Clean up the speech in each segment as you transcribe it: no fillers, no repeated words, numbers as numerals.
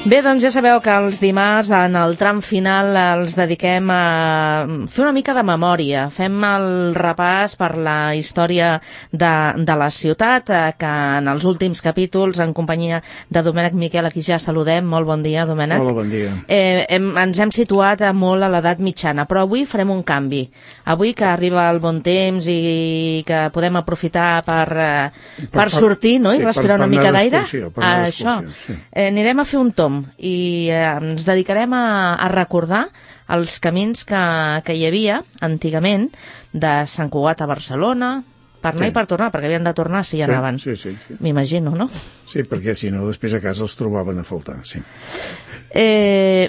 Bé, doncs ja sabeu que els dimarts en el tram final els dediquem a fer una mica de memòria. Fem el repàs per la història de la ciutat, que en els últims capítols, en companyia de Domènec Miquel, a qui ja saludem. Molt bon dia, Domènec. Hola, bon dia. Ens hem situat molt a l'edat mitjana, però avui farem un canvi. Avui que arriba el bon temps i que podem aprofitar per sortir, no? I respirar una mica d'aire. Això. Anirem a fer un tomb i ens dedicarem a recordar els camins que hi havia antigament de Sant Cugat a Barcelona, per anar i per tornar, perquè havien de tornar si hi anaven. Sí. M'imagino, no? Sí, perquè si no, després a casa els trobaven a faltar, sí.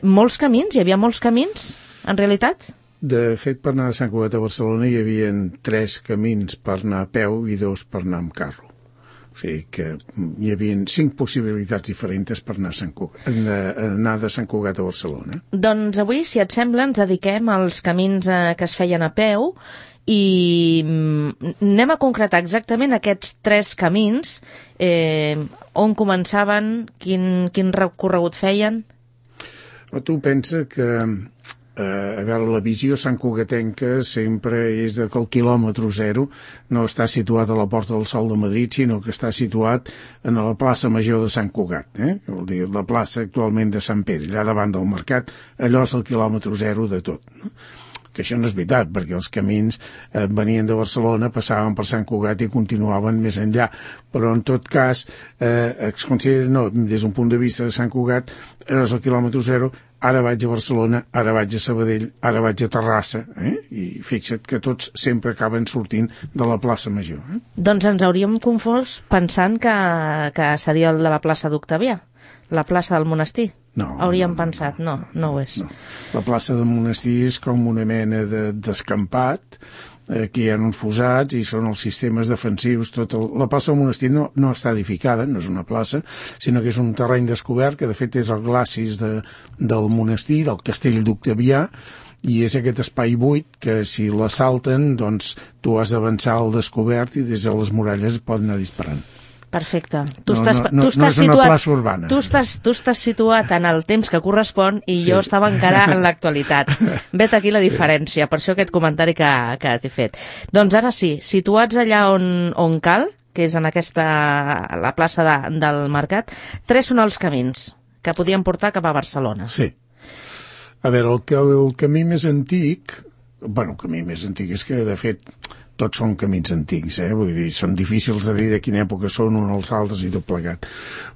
Molts camins? Hi havia molts camins, en realitat? De fet, per anar de Sant Cugat a Barcelona hi havia 3 camins per anar a peu i 2 per anar amb carro. O sigui que hi havia 5 possibilitats diferents per anar de Sant Cugat a Barcelona. Doncs avui, si et sembla, ens dediquem als camins que es feien a peu i anem a concretar exactament aquests 3 camins, on començaven, quin recorregut feien. Tu pensa que a veure, la visió santcugatenca sempre és que el quilòmetre zero no està situat a la Porta del Sol de Madrid, sinó que està situat en la plaça Major de Sant Cugat, vol dir, la plaça actualment de Sant Pere, allà davant del mercat. Allò és el quilòmetre zero de tot, no? Que això no és veritat, perquè els camins venien de Barcelona, passaven per Sant Cugat i continuaven més enllà, però en tot cas es considera, no, des d'un punt de vista de Sant Cugat, és el quilòmetre zero. Ara vaig a Barcelona, ara vaig a Sabadell, ara vaig a Terrassa, i fixa't que tots sempre acaben sortint de la plaça Major. Doncs ens hauríem confós pensant que seria el de la plaça d'Octavià, la plaça del monestir. No. Hauríem pensat, no ho és. No. La plaça del monestir és com una mena d'escampat, que hi ha uns fossats i són els sistemes defensius. La plaça del monestir no està edificada, no és una plaça, sinó que és un terreny descobert, que de fet és el glacis del monestir, del castell d'Octavià, i és aquest espai buit que si l'assalten, doncs tu has d'avançar al descobert i des de les muralles es poden anar disparant. Perfecte. No és una plaça urbana. Tu estàs situat en el temps que correspon i jo estava encara en l'actualitat. Vet aquí la diferència, per això aquest comentari que t'he fet. Doncs ara sí, situats allà on cal, que és en la plaça del Mercat, 3 són els camins que podien portar cap a Barcelona. Sí. A veure, el camí més antic... Bueno, el camí més antic és que, de fet, tots són camins antics, vull dir, són difícils de dir de quina època són uns als altres i tot plegat.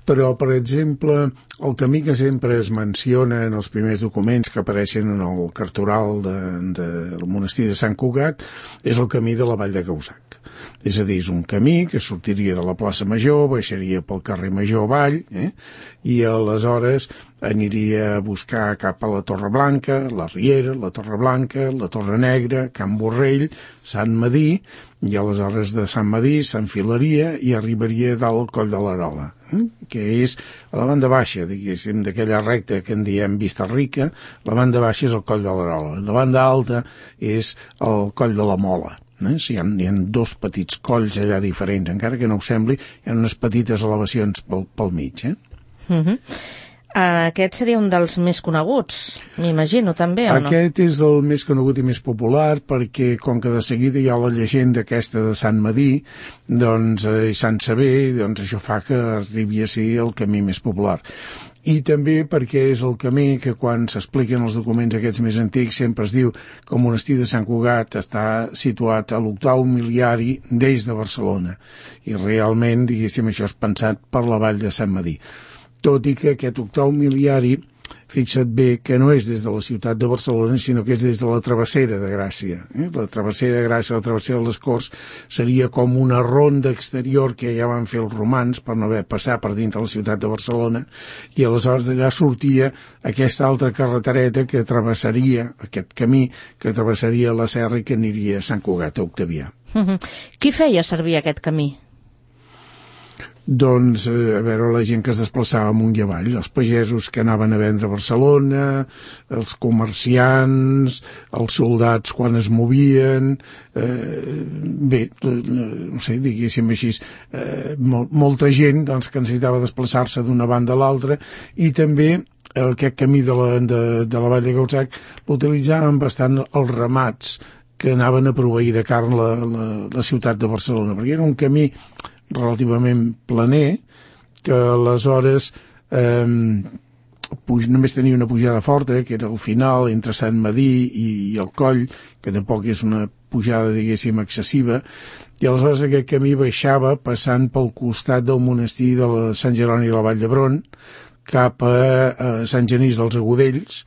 Però, per exemple, el camí que sempre es menciona en els primers documents que apareixen en el cartoral del monestir de Sant Cugat és el camí de la Vall de Causac. És a dir, és un camí que sortiria de la plaça Major, baixaria pel carrer Major avall, i aleshores aniria a buscar cap a la Torre Blanca, la Riera, la Torre Blanca, la Torre Negra, Can Borrell, Sant Madí, i aleshores de Sant Madí s'enfilaria i arribaria dalt al Coll de l'Arola, que és a la banda baixa, diguéssim, d'aquella recta que en diem Vista Rica. La banda baixa és el Coll de l'Arola, la banda alta és el Coll de la Mola. Hi ha 2 petits colls allà diferents, encara que no ho sembli, hi ha unes petites elevacions pel mig. Aquest seria un dels més coneguts, m'imagino, també, o no? Aquest és el més conegut i més popular perquè, com que de seguida hi ha la llegenda aquesta de Sant Madí, doncs, i Sant Sever, doncs això fa que arribi a ser el camí més popular. I també perquè és el camí que quan s'expliquen els documents aquests més antics sempre es diu que el monestir de Sant Cugat està situat a l'octau miliari des de Barcelona. I realment, diguéssim, això és pensat per la vall de Sant Madí. Tot i que aquest octau miliari, fixa't bé que no és des de la ciutat de Barcelona, sinó que és des de la Travessera de Gràcia. La Travessera de Gràcia, la Travessera de les Corts, seria com una ronda exterior que ja van fer els romans per no haver passar per dintre la ciutat de Barcelona, i aleshores d'allà sortia aquesta altra carretereta que travessaria, aquest camí que travessaria la serra i que aniria a Sant Cugat, a Octavià. Qui feia servir aquest camí? doncs, a veure, la gent que es desplaçava amunt i avall, els pagesos que anaven a vendre a Barcelona, els comerciants, els soldats quan es movien, bé, no sé, diguéssim així, molta gent doncs, que necessitava desplaçar-se d'una banda a l'altra, i també aquest camí de la Vall de Gauzac l'utilitzaven bastant els ramats que anaven a proveir de carn la ciutat de Barcelona, perquè era un camí relativament planer, que aleshores només tenia una pujada forta, que era al final, entre Sant Medir i el Coll, que tampoc és una pujada, diguéssim, excessiva, i aleshores aquest camí baixava passant pel costat del monestir de Sant Jeroni i la Vall d'Hebron, cap a Sant Genís dels Agudells,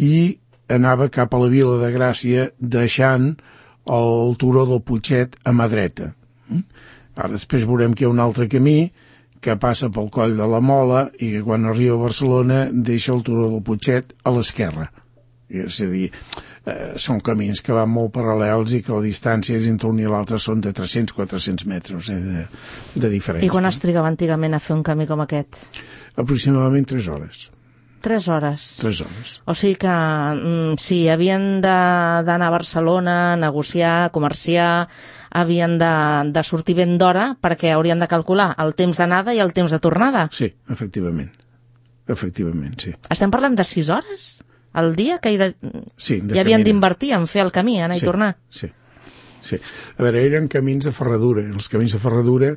i anava cap a la Vila de Gràcia, deixant el turó del Putxet a mà dreta. Ara després veurem que hi ha un altre camí que passa pel Coll de la Mola i que quan arriba a Barcelona deixa el turó del Putxet a l'esquerra. És a dir, són camins que van molt paral·lels i que la distància entre un i l'altre són de 300-400 metres de diferència. I quan es trigava antigament a fer un camí com aquest? Aproximadament 3 hores. 3 hores. 3 hores. O sigui que si havien d'anar a Barcelona, negociar, comerciar, havien de sortir ben d'hora perquè haurien de calcular el temps d'anada i el temps de tornada. Sí, efectivament. Efectivament, sí. Estem parlant de 6 hores al dia que sí, hi havien d'invertir en fer el camí, anar i tornar. Sí. Sí. A veure, eren camins de ferradura. Els camins de ferradura,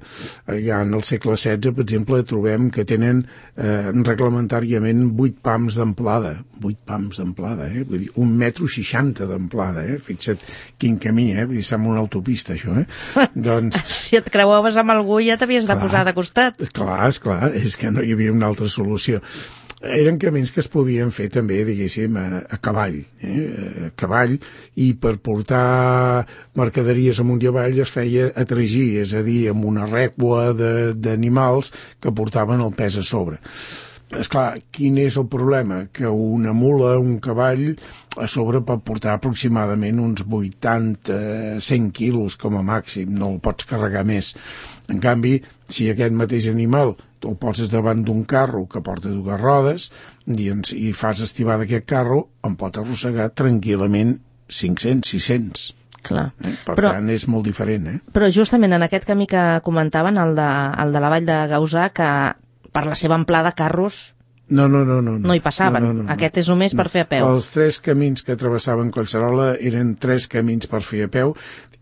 ja en el segle XVI, per exemple, trobem que tenen reglamentàriament 8 pams d'amplada. 8 pams d'amplada, Vull dir, 1,60 m d'amplada, Fixa't quin camí, Vull dir, sembla una autopista, això, Doncs... Si et creuaves amb algú ja t'havies de posar de costat. Clar, és que no hi havia una altra solució. Eren camins que es podien fer també, diguéssim, a cavall, a cavall, i per portar mercaderies amunt i avall es feia a tragir, és a dir, amb una rècua d'animals que portaven el pes a sobre. Esclar, quin és el problema? Que una mula, un cavall, a sobre pot portar aproximadament uns 80-100 quilos com a màxim, no el pots carregar més. En canvi, si aquest mateix animal el poses davant d'un carro que porta 2 rodes i fas estivar d'aquest carro, em pot arrossegar tranquil·lament 500-600. Clar. Per tant, és molt diferent. Però justament en aquest camí que comentaven, el de la Vall de Gausà, que per la seva amplada carros no hi passaven. No. Aquest és només per fer a peu. Els 3 camins que travessaven Collserola eren 3 camins per fer a peu,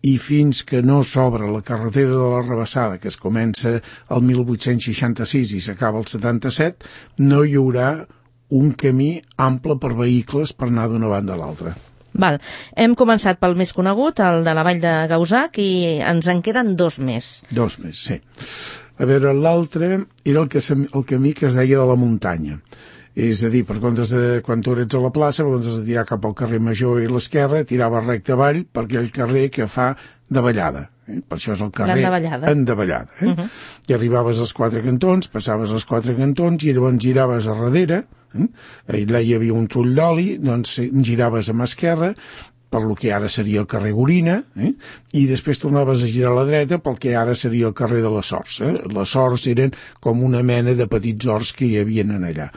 i fins que no s'obre la carretera de la Rabassada, que es comença el 1866 i s'acaba el 77, no hi haurà un camí ample per vehicles per anar d'una banda a l'altra. Val. Hem començat pel més conegut, el de la Vall de Gauzac, i ens en queden 2 més. 2 més, sí. A veure, l'altre era el camí que es deia de la muntanya. És a dir, quan tu eres a la plaça, has de tirar cap al carrer Major i l'esquerra, tirava recte avall per aquell carrer que fa davallada. Per això és el carrer endavallada. I arribaves als 4 cantons, passaves als 4 cantons i llavors giraves a darrere, allà hi havia un trull d'oli, doncs giraves a mà esquerra, per lo que ara seria el carrer Gorina, i després tornaves a girar a la dreta pel que ara seria el carrer de les Horts. Les Horts eren com una mena de petits horts que hi havia allà.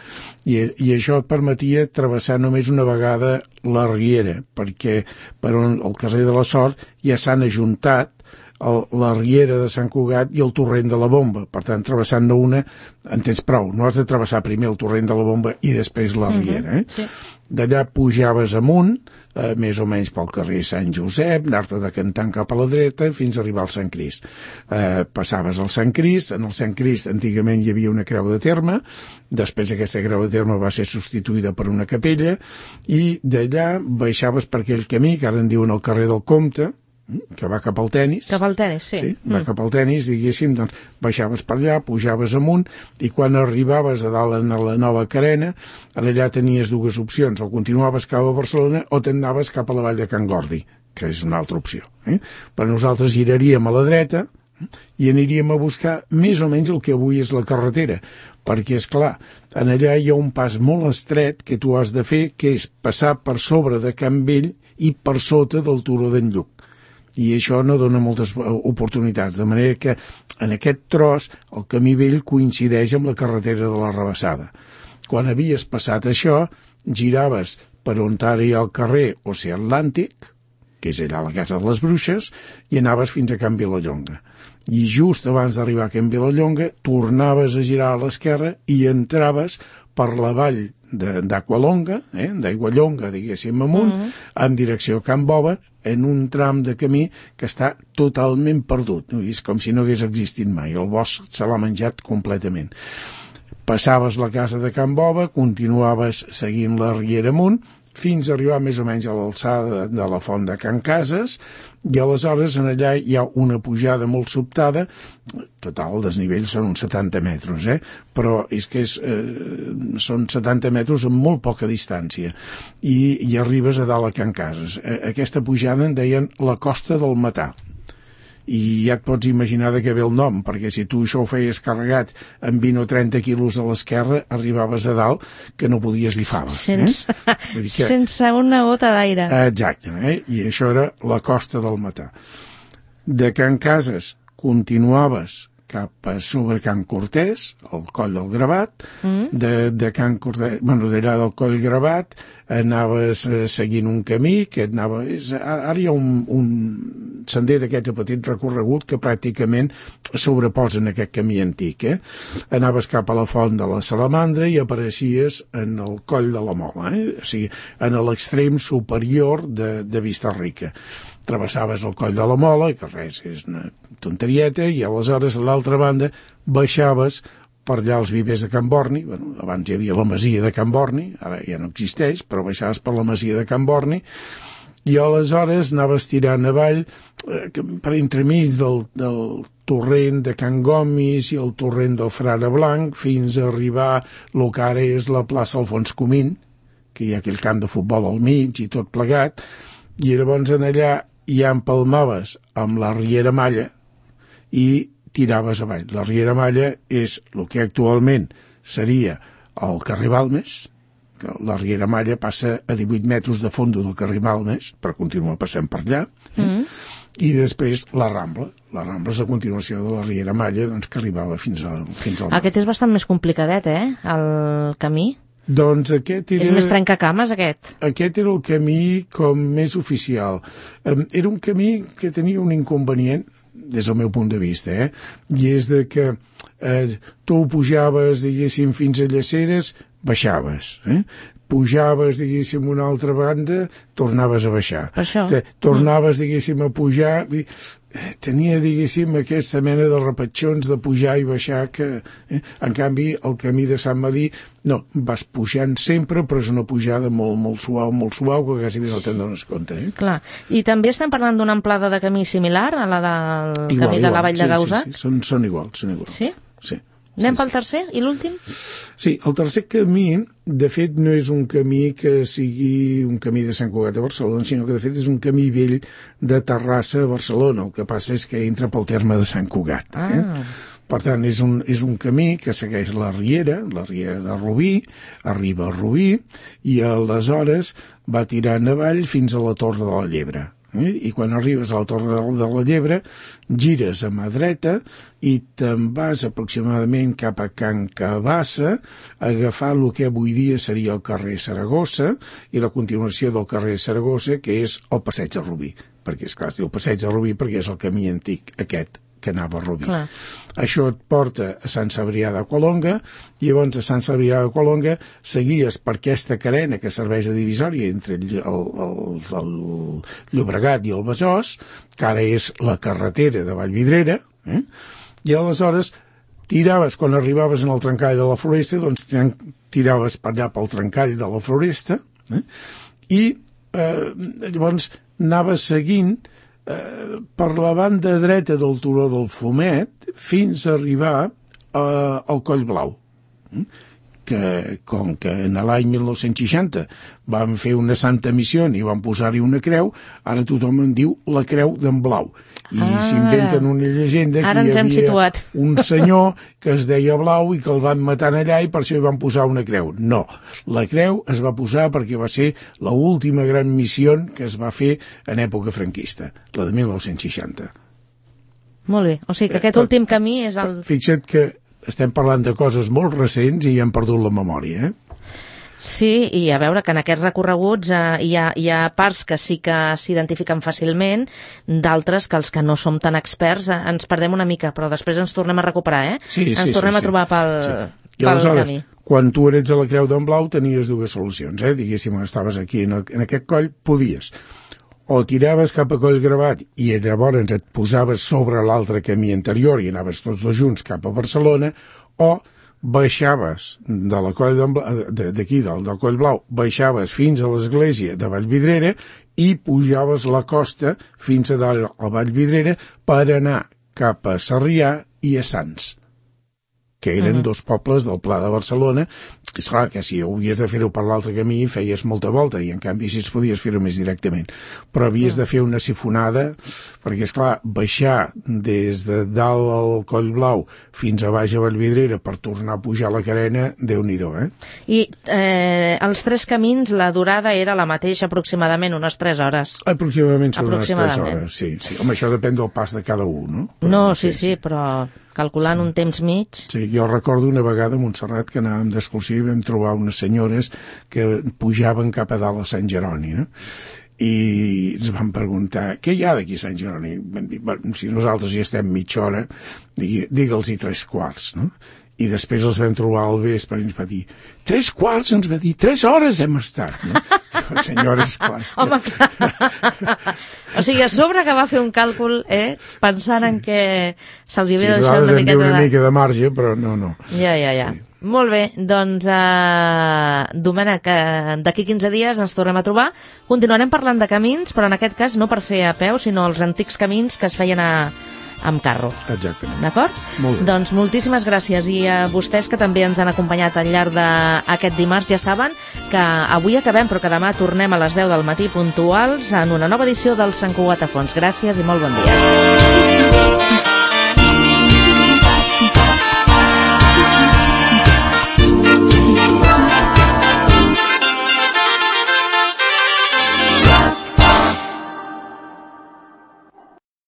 I això et permetia travessar només una vegada la riera, perquè per on el carrer de les Horts ja s'han ajuntat la riera de Sant Cugat i el torrent de la Bomba. Per tant, travessant-ne una, en tens prou. No has de travessar primer el torrent de la Bomba i després la riera. Sí. D'allà pujaves amunt, més o menys pel carrer Sant Josep, anar-te decantant cap a la dreta fins a arribar al Sant Crist. Passaves al Sant Crist, en el Sant Crist antigament hi havia una creu de terme, després aquesta creu de terme va ser substituïda per una capella, i d'allà baixaves per aquell camí, que ara en diuen el carrer del Comte, que va cap al Tenis. Cap al Tenis, sí. Sí, va cap al Tenis, diguéssim, doncs baixaves per allà, pujaves amunt, i quan arribaves a dalt a la nova carena, allà tenies 2 opcions, o continuaves cap a Barcelona o t'anaves cap a la vall de Can Gordi, que és una altra opció. Però nosaltres giraríem a la dreta i aniríem a buscar més o menys el que avui és la carretera, perquè, és clar, en allà hi ha un pas molt estret que tu has de fer, que és passar per sobre de Can Vell i per sota del turó d'en Lluc. I això no dona moltes oportunitats, de manera que en aquest tros el camí vell coincideix amb la carretera de la Rabassada. Quan havies passat això, giraves per on ara hi ha el carrer Oceà Atlàntic, que és allà a la Casa de les Bruixes, i anaves fins a Can Vilallonga. I just abans d'arribar a Can Vilallonga tornaves a girar a l'esquerra i entraves per la vall d'Aqualonga, d'Aiguallonga, diguéssim, amunt, en direcció a Can Bova, en un tram de camí que està totalment perdut. No? És com si no hagués existit mai. El bosc se l'ha menjat completament. Passaves la casa de Can Bova, continuaves seguint la riera amunt, fins a arribar més o menys a l'alçada de la font de Can Cases, i aleshores en allà hi ha una pujada molt sobtada, total, el desnivell són uns 70 metres, però és que són 70 metres amb molt poca distància, i arribes a dalt a Can Cases. Aquesta pujada en deien la Costa del Matà, i ja et pots imaginar de què ve el nom, perquè si tu això ho feies carregat amb 20 o 30 quilos a l'esquerra, arribaves a dalt que no podies dir fava. Sense una gota d'aire. Exacte, i això era la Costa del Matà. De Can Cases continuaves cap a sobre Can Cortés, al Coll del Gravat, de Can Cortés, d'allà del Coll Gravat, anaves seguint un camí que anava... Ara hi ha un sender d'aquests a petit recorregut que pràcticament sobreposen aquest camí antic. Anaves cap a la font de la Salamandra i apareixies en el Coll de la Mola, o sigui, en l'extrem superior de Vista-rica. Travessaves el Coll de la Mola, que res, és una tonterieta, i aleshores a l'altra banda baixaves per allà als vivers de Can Borni. Abans hi havia la masia de Can Borni, ara ja no existeix, però baixaves per la masia de Can Borni, i aleshores anaves tirant avall per entremig del torrent de Can Gomis i el torrent del Frare Blanc fins a arribar el que ara és la plaça Alfons Comín, que hi ha aquell camp de futbol al mig i tot plegat, i llavors en allà ja empalmaves amb la Riera Malla i tiraves avall. La Riera Malla és el que actualment seria el carrer Balmes, que la Riera Malla passa a 18 metres de fondo del carrer Balmes, però continua passant per allà, i després la Rambla. La Rambla és la continuació de la Riera Malla, doncs, que arribava fins al mar. Aquest és bastant més complicadet, el camí? Doncs aquest era... És més trencacames, aquest? Aquest era el camí com més oficial. Era un camí que tenia un inconvenient, des del meu punt de vista, i és de que tu pujaves, diguéssim, fins a Llaceres, baixaves, pujaves, diguéssim, una altra banda, tornaves a baixar. Per això? Tornaves, diguéssim, a pujar... Tenia, diguéssim, aquesta mena de repatxons de pujar i baixar que, en canvi, el camí de Sant Madí, no, vas pujant sempre, però és una pujada molt suau, que quasi no te'n dones compte. Clar. I també estem parlant d'una amplada de camí similar a la del camí de la Vall de Gaussac? Sí, són iguals. Sí? Sí. Anem pel tercer i l'últim? Sí, el tercer camí, de fet, no és un camí que sigui un camí de Sant Cugat a Barcelona, sinó que, de fet, és un camí vell de Terrassa a Barcelona. El que passa és que entra pel terme de Sant Cugat. Per tant, és un camí que segueix la Riera de Rubí, arriba a Rubí, i aleshores va tirant avall fins a la Torre de la Llebre. I quan arribes a la Torre de la Llebre gires a mà dreta i te'n vas aproximadament cap a Can Cabassa a agafar el que avui dia seria el carrer Saragossa i la continuació del carrer Saragossa, que és el Passeig de Rubí, perquè esclar, es diu Passeig de Rubí perquè és el camí antic aquest que anava a Rubí. Clar. Això et porta a Sant Cebrià d'Aqualonga, i llavors a Sant Cebrià d'Aqualonga seguies per aquesta carena que serveix de divisòria entre el Llobregat i el Besòs, que ara és la carretera de Vallvidrera, i aleshores tiraves, quan arribaves en el trencall de la Floresta, doncs tiraves per allà pel trencall de la Floresta, i llavors anaves seguint per la banda dreta del turó del Fumet fins a arribar al Coll Blau, que com que en l'any 1960 van fer una santa missió i van posar-hi una creu, ara tothom en diu la Creu d'en Blau. I s'inventen una llegenda que hi havia un senyor que es deia Blau i que el van matar allà i per això hi van posar una creu. No, la creu es va posar perquè va ser l'última gran missió que es va fer en època franquista, la de 1960. Molt bé, o sigui que aquest últim camí és el... Fixa't que estem parlant de coses molt recents i hem perdut la memòria, Sí, i a veure que en aquests recorreguts hi ha parts que sí que s'identifiquen fàcilment, d'altres que els que no som tan experts ens perdem una mica, però després ens tornem a recuperar, ens tornem a trobar pel camí. Quan tu eres a la Creu d'en Blau tenies dues solucions, diguéssim, estaves aquí en aquest coll, podies o tiraves cap a Coll Gravat i llavors et posaves sobre l'altre camí anterior i anaves tots dos junts cap a Barcelona, o baixaves de la Coll d'aquí, del Coll Blau, baixaves fins a l'església de Vallvidrera i pujaves la costa fins a dalt a Vallvidrera per anar cap a Sarrià i a Sants, que eren dos pobles del Pla de Barcelona. És clar que si havies de fer-ho per l'altre camí feies molta volta, i en canvi si es podies fer-ho més directament, però havies de fer una sifonada, perquè és clar, baixar des de dalt al Coll Blau fins a baix a Vallvidrera per tornar a pujar la Carena, Déu-n'hi-do, I els tres camins, la durada era la mateixa, aproximadament unes 3 hores. Aproximadament són unes 3 hores, sí. Home, això depèn del pas de cada un, no? Però sí, però calculant un temps mig... Sí, jo recordo una vegada a Montserrat que anàvem d'excursió i vam trobar unes senyores que pujaven cap a dalt a Sant Jeroni, no? I ens van preguntar, què hi ha d'aquí a Sant Jeroni? Vam dir, bueno, si nosaltres hi estem mitja hora, digue'ls-hi 3/4, no? I després els vam trobar al vespre i ens va dir 3/4, ens va dir, 3 hores hem estat, no? Senyores, clar. Home, clar. O sigui, a sobre que va fer un càlcul, pensant en que se'ls hi havia de deixar una mica de marge, però no. Ja. Sí. Molt bé, doncs, Domènec, d'aquí 15 dies ens tornem a trobar. Continuarem parlant de camins, però en aquest cas no per fer a peu, sinó els antics camins que es feien amb carro. Exactament. D'acord? Molt bé. Doncs moltíssimes gràcies, i a vostès que també ens han acompanyat al llarg d'aquest dimarts. Ja saben que avui acabem, però que demà tornem a les 10 del matí puntuals en una nova edició del Sant Cugat a Fons. Gràcies i molt bon dia.